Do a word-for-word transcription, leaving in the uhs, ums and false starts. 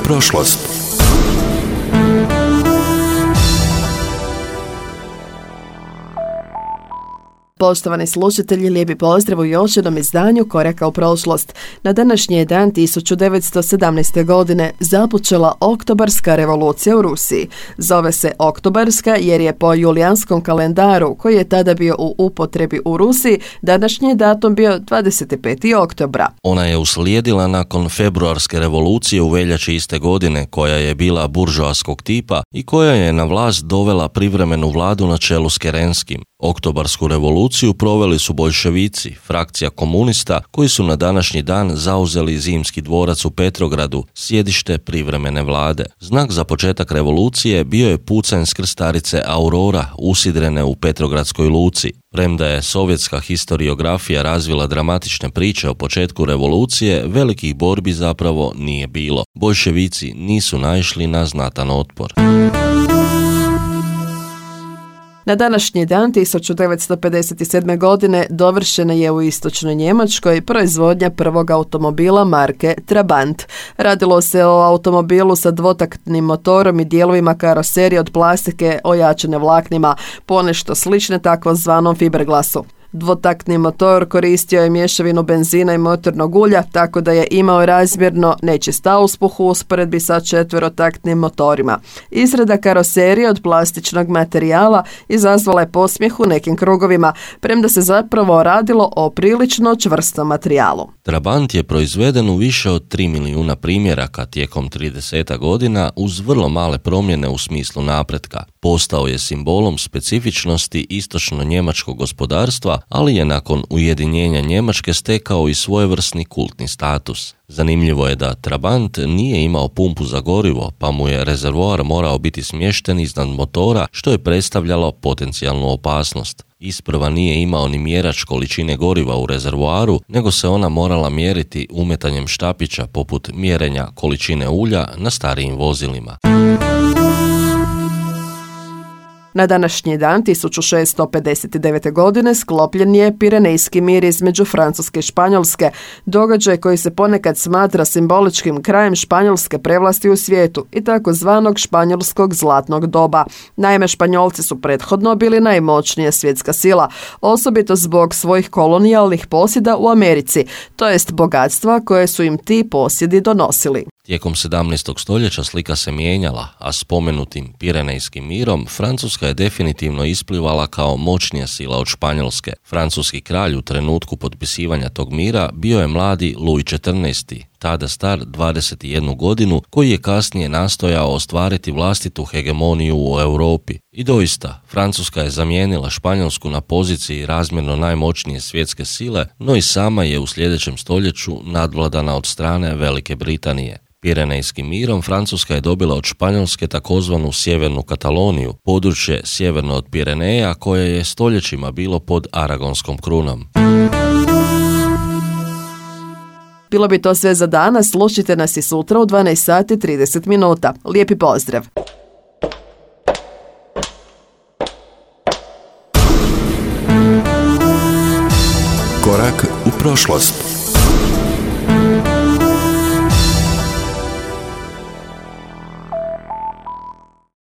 prošlost. Poštovani slušatelji, lijepi pozdrav u još jednom izdanju Koraka u prošlost. Na današnji je dan tisuću devetsto sedamnaeste. godine započela Oktobarska revolucija u Rusiji. Zove se Oktobarska jer je po julijanskom kalendaru, koji je tada bio u upotrebi u Rusiji, današnji datum bio dvadeset peti oktobra. Ona je uslijedila nakon februarske revolucije u veljači iste godine, koja je bila buržoaskog tipa i koja je na vlast dovela privremenu vladu na čelu s Kerenskim. Oktobarsku revoluciju proveli su boljševici, frakcija komunista, koji su na današnji dan zauzeli Zimski dvorac u Petrogradu, sjedište privremene vlade. Znak za početak revolucije bio je pucanj s krstarice Aurora, usidrene u Petrogradskoj luci. Premda je sovjetska historiografija razvila dramatične priče o početku revolucije, velikih borbi zapravo nije bilo. Boljševici nisu naišli na znatan otpor. Na današnji dan tisuću devetsto pedeset sedme. godine dovršena je u istočnoj Njemačkoj proizvodnja prvog automobila marke Trabant. Radilo se o automobilu sa dvotaktnim motorom i dijelovima karoserije od plastike ojačane vlaknima, ponešto slične takozvanom fiberglasu. Dvotaktni motor koristio je mješavinu benzina i motornog ulja, tako da je imao razmjerno nečist auspuh u usporedbi sa četverotaktnim motorima. Izrada karoserije od plastičnog materijala izazvala je posmijeh u nekim krugovima, premda se zapravo radilo o prilično čvrstom materijalu. Trabant je proizveden u više od tri milijuna primjeraka tijekom trideset godina uz vrlo male promjene u smislu napretka. Postao je simbolom specifičnosti istočno-njemačkog gospodarstva, ali je nakon ujedinjenja Njemačke stekao i svojevrsni kultni status. Zanimljivo je da Trabant nije imao pumpu za gorivo, pa mu je rezervoar morao biti smješten iznad motora, što je predstavljalo potencijalnu opasnost. Isprva nije imao ni mjerač količine goriva u rezervoaru, nego se ona morala mjeriti umetanjem štapića poput mjerenja količine ulja na starijim vozilima. Na današnji dan tisuću šeststo pedeset devete. godine sklopljen je Pirenejski mir između Francuske i Španjolske, događaj koji se ponekad smatra simboličkim krajem španjolske prevlasti u svijetu i takozvanog španjolskog zlatnog doba. Naime, Španjolci su prethodno bili najmoćnija svjetska sila, osobito zbog svojih kolonijalnih posjeda u Americi, to jest bogatstva koje su im ti posjedi donosili. Tijekom sedamnaestog. stoljeća slika se mijenjala, a spomenutim Pirenejskim mirom Francuska je definitivno isplivala kao moćnija sila od Španjolske. Francuski kralj u trenutku potpisivanja tog mira bio je mladi Louis četrnaesti, tada star dvadeset jednu godinu, koji je kasnije nastojao ostvariti vlastitu hegemoniju u Europi. I doista, Francuska je zamijenila Španjolsku na poziciji razmjerno najmoćnije svjetske sile, no i sama je u sljedećem stoljeću nadvladana od strane Velike Britanije. Pirenejskim mirom Francuska je dobila od Španjolske takozvanu Sjevernu Kataloniju, područje sjeverno od Pireneja koje je stoljećima bilo pod Aragonskom krunom. Bilo bi to sve za danas, slušajte nas i sutra u dvanaest sati i trideset minuta. Lijepi pozdrav! Korak u prošlost.